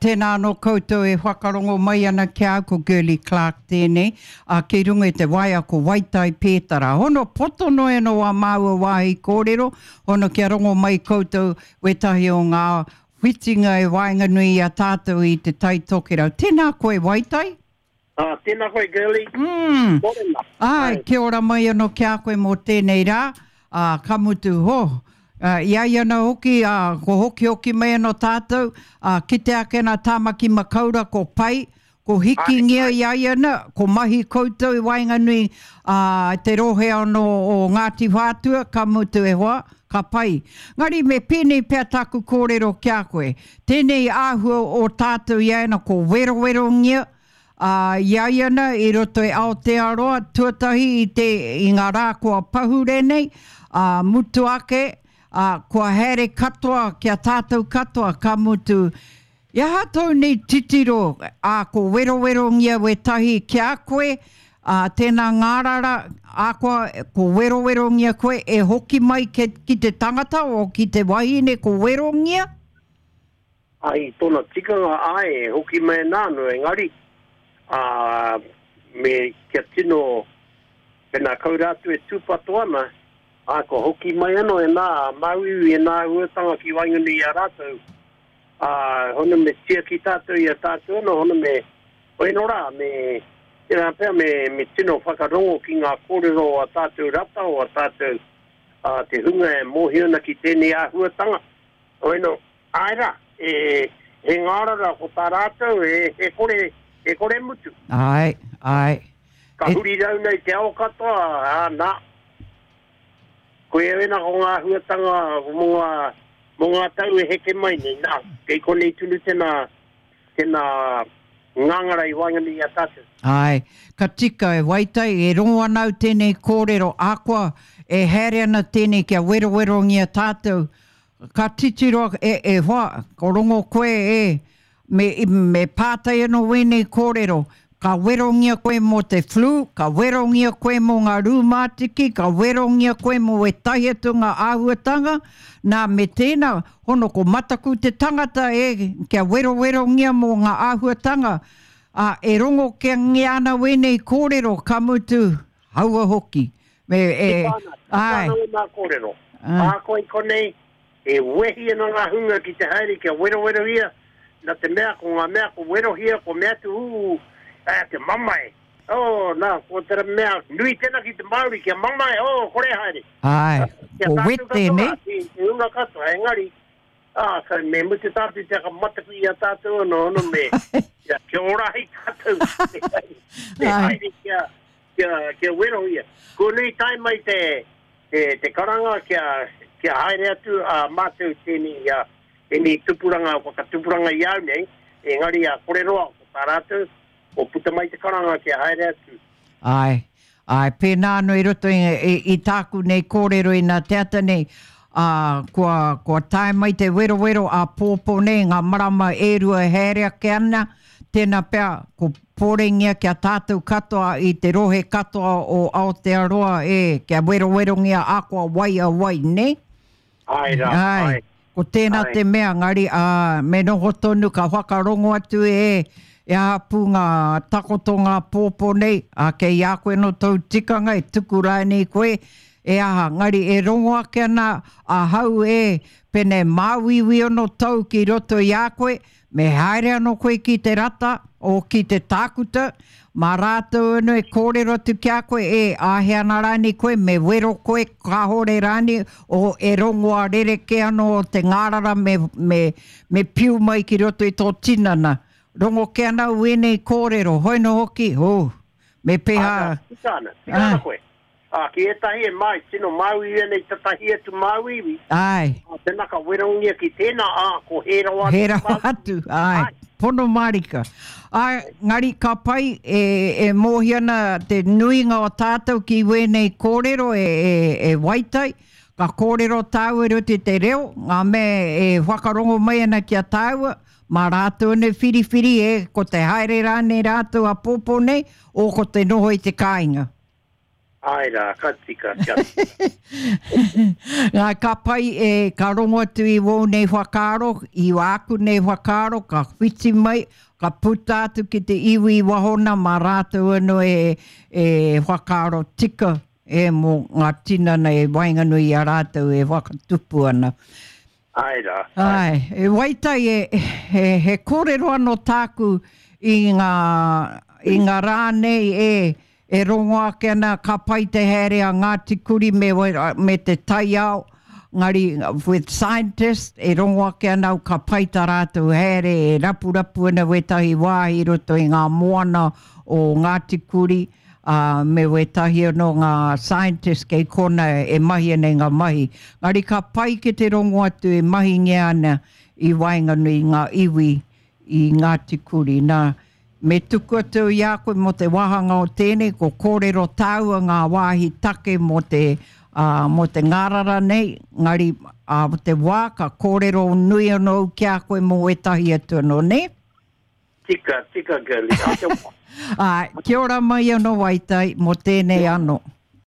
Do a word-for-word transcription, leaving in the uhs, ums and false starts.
Tēnā anō koutou e whakarongo mai ana ki a au, ko Girlie Clarke tēnei, ā, kei runga i te waea ko Waitai Pētara. Hono poto noa anō wā māua wāhi kōrero, hono kia rongo mai koutou wētahi o ngā whitinga e waenganui i a tātou i Te Tai Tokerau. Tēnā koe Waitai. Ā, tēnā koe Girlie. Mm. Mōrena. Āe, kia ora mai anō ki a koe mō tēnei rā, ā, ka mutu, ho, ā, i a ia anō hoki, ā, ko hokihoki mai anō tātou, ā, kite ake ana Tāmaki Makaura ko pai, ko hikingia i a ia ana, ko mahi koutou i waenganui, ā, te rohe anō o Ngāti Whātua, ka mutu e hoa, ka pai. Ngari me pēnei pea tāku kōrero ki a koe, tēnei āhua o tātou i a ia ana ko werowerongia, Ā, i a ia ana i roto i Aotearoa, tuatahi i te, i ngā rā kua pahure nei, ā, mutu ake, ā, kua haere katoa ki a tātou katoa, ka mutu, i aha tōu nei titiro, ā, ko werowerongia wētahi ki a koe, ā, tēnā ngārara, ā, koa, ko werowerongia koe, e hoki mai ke, ki te tangata, o ki te wahine ko werongia? Ai, tōna tikanga, āe, e hoki mai ana anō, engari, ā, me, kia tino, pēnā kau rātou e tūpato ana, ā, kua hoki mai anō e nā māuiui, e nā āhuatanga ki waenganui i a rātou, ā, hono me tiaki tātou i a tātou anō, hono me, hoeno rā, me, tērā pea me, me tino whakarongo ki ngā kōrero o a tātou rata, o a tātou, ā, te hunga e mōhio ana ki tēnei āhuatanga, hoeno, Āe rā, e, he ngārara ko tā rātou, he, he kore, he kore mutu. Āe, āe. Ka huri rauna i te ao katoa, ā, nā. Koia wena ko ngā āhuatanga mō ngā, mō ngā tau e heke mai nei, nā, kei konei tonu tēnā, tēnā ngāngara i waenganui i a tātou. Āe, ka tika e Waitai, e rongo ana au tēnei kōrero, ahakoa e haere ana tēnei kia werowerongia tātou, Ka titiro, e, e hoa, ko rongo koe, e, me, me pātai anō wēnei kōrero, ka werongia koe mō te flu, ka werongia koe mō ngā rūmātiki, ka werongia koe mō ētahi atu ngā āhuatanga, nā, me tēnā, hono ko mataku te tangata, e, kia werowerongia mō ngā āhuatanga, ā, e rongo kengia ana wēnei kōrero, ka mutu, haua hoki. Me, e, Tika ana, tika āe. ana wēnā kōrero. Āe. Ahakoa i konei, E wehi ana ngā hunga ki te haere kia werowerohia, nā te mea ko ngā mea ko werohia, ko mea atu, ū, ā, te mamae. Oh, nā, ko te mea nui tēnā ki te Māori, kia mamae, oh, kore e haere. Āe, Kia ko tātou wet katoa, tēnei. ki te hunga katoa, engari, ā, ka, me mutu tātou te mataku i a tātou anō, anō me, kia, kia ora ai tātou, te haere, te Āe. haere kia, kia, kia werohia. Kua nui tae mai te, te, te karanga kia, kia haere atu a mātou tēnei, a, tēnei tupuranga, whakatupuranga i au nei, engari a kore roa ko tā rātou, ko puta mai te karanga kia haere atu. Āe, āe, pēnā anō i roto i, i, i tāku nei kōrero inā te ata nei, ā, kua, kua tae mai te werowero āpōpō nei, ngā marama e rua e haere ake ana, tēnā pea ko pōrengia ki a tātou katoa i te rohe katoa o Aotearoa, e, kia werowerongia akoa wai a wai, nē? Āe rā, Āe, āe. ko tēnā Āe. te mea, ngari, ā, me noho tonu ka whakarongo atu e, e aha pū ngā takoto ngā pōpō nei, ā, kei a koe nō tōu tikanga e tuku rānei koe, e aha, ngari e rongo ake ana ahau e, pēnei māuiui ono tau ki roto i a koe, Me haere anō koe ki te rata, o ki te tākuta, mā rātou anō e kōrero atu ki a koe, e, āhea ana rānei koe, me wero koe, kāore rānei, o, e rongoa rerekē anō o te ngārara me, me, me piu mai ki roto i tō tinana. Rongo kē ana au ēnei kōrero, hoi nō hoki, oh, me pēhā. Āna, tika ana, tika ana koe. Ā, ki ētahi e māi, tino māuiui ana i tatahi atu māuiui. Āe. Ā, tēnā ka werongia ki tēnā, ā, ko hē rawa atu Hē rawa atu, āe. Pono mārika. Āe, ngari ka pai, e, e mōhio ana te nuinga o tātou ki wēnei kōrero e, e, e Waitai, ka kōrero tāua i roto i te reo, ngā mea e whakarongo mai ana ki a tāua, mā rātou anō e whiriwhiri, e, ko te haere rānei rātou āpōpō nei, o ko te noho i te kāinga. Ai rā, ka tika, kia. Ngā, ka pai e, ka rongo atu i wō nei whakaaro, i wāku nei whakaaro, ka whiti mai, ka puta atu ki te iwi i wahona mā rātou anō e, e whakaaro tika e mō ngā tinana e waenganui i a rātou e whakatupu ana. Ai rā. Ai, e Waitai e, he, he kōrero anō tāku i ngā, i ngā rā nei e, e rongo ake ana ka pai te haere a Ngāti Kuri me, me te taiao, ngari with scientists e rongo ake ana au ka pai tā rātou haere e rapurapu ana wētahi wāhi i roto i ngā moana o Ngāti Kuri, uh, me wētahi anō ngā scientists kei kona e mahi ana i ngā mahi. Ngari ka pai ki te rongo atu e mahingia ana i waenganui i ngā iwi i Ngāti Kuri. Nā, me tuku atu i a koe mō te wāhanga o tēnei, ko kōrero tāua ngā wāhi take mō te, uh, mō te ngārara nei, ngari uh, te wā ka kōrero nui anō au ki a koe mō ētahi atu anō, ne? Tika, tika, girlie. A te wā. Ai, kia ora mai anō Waitai mō tēnei anō.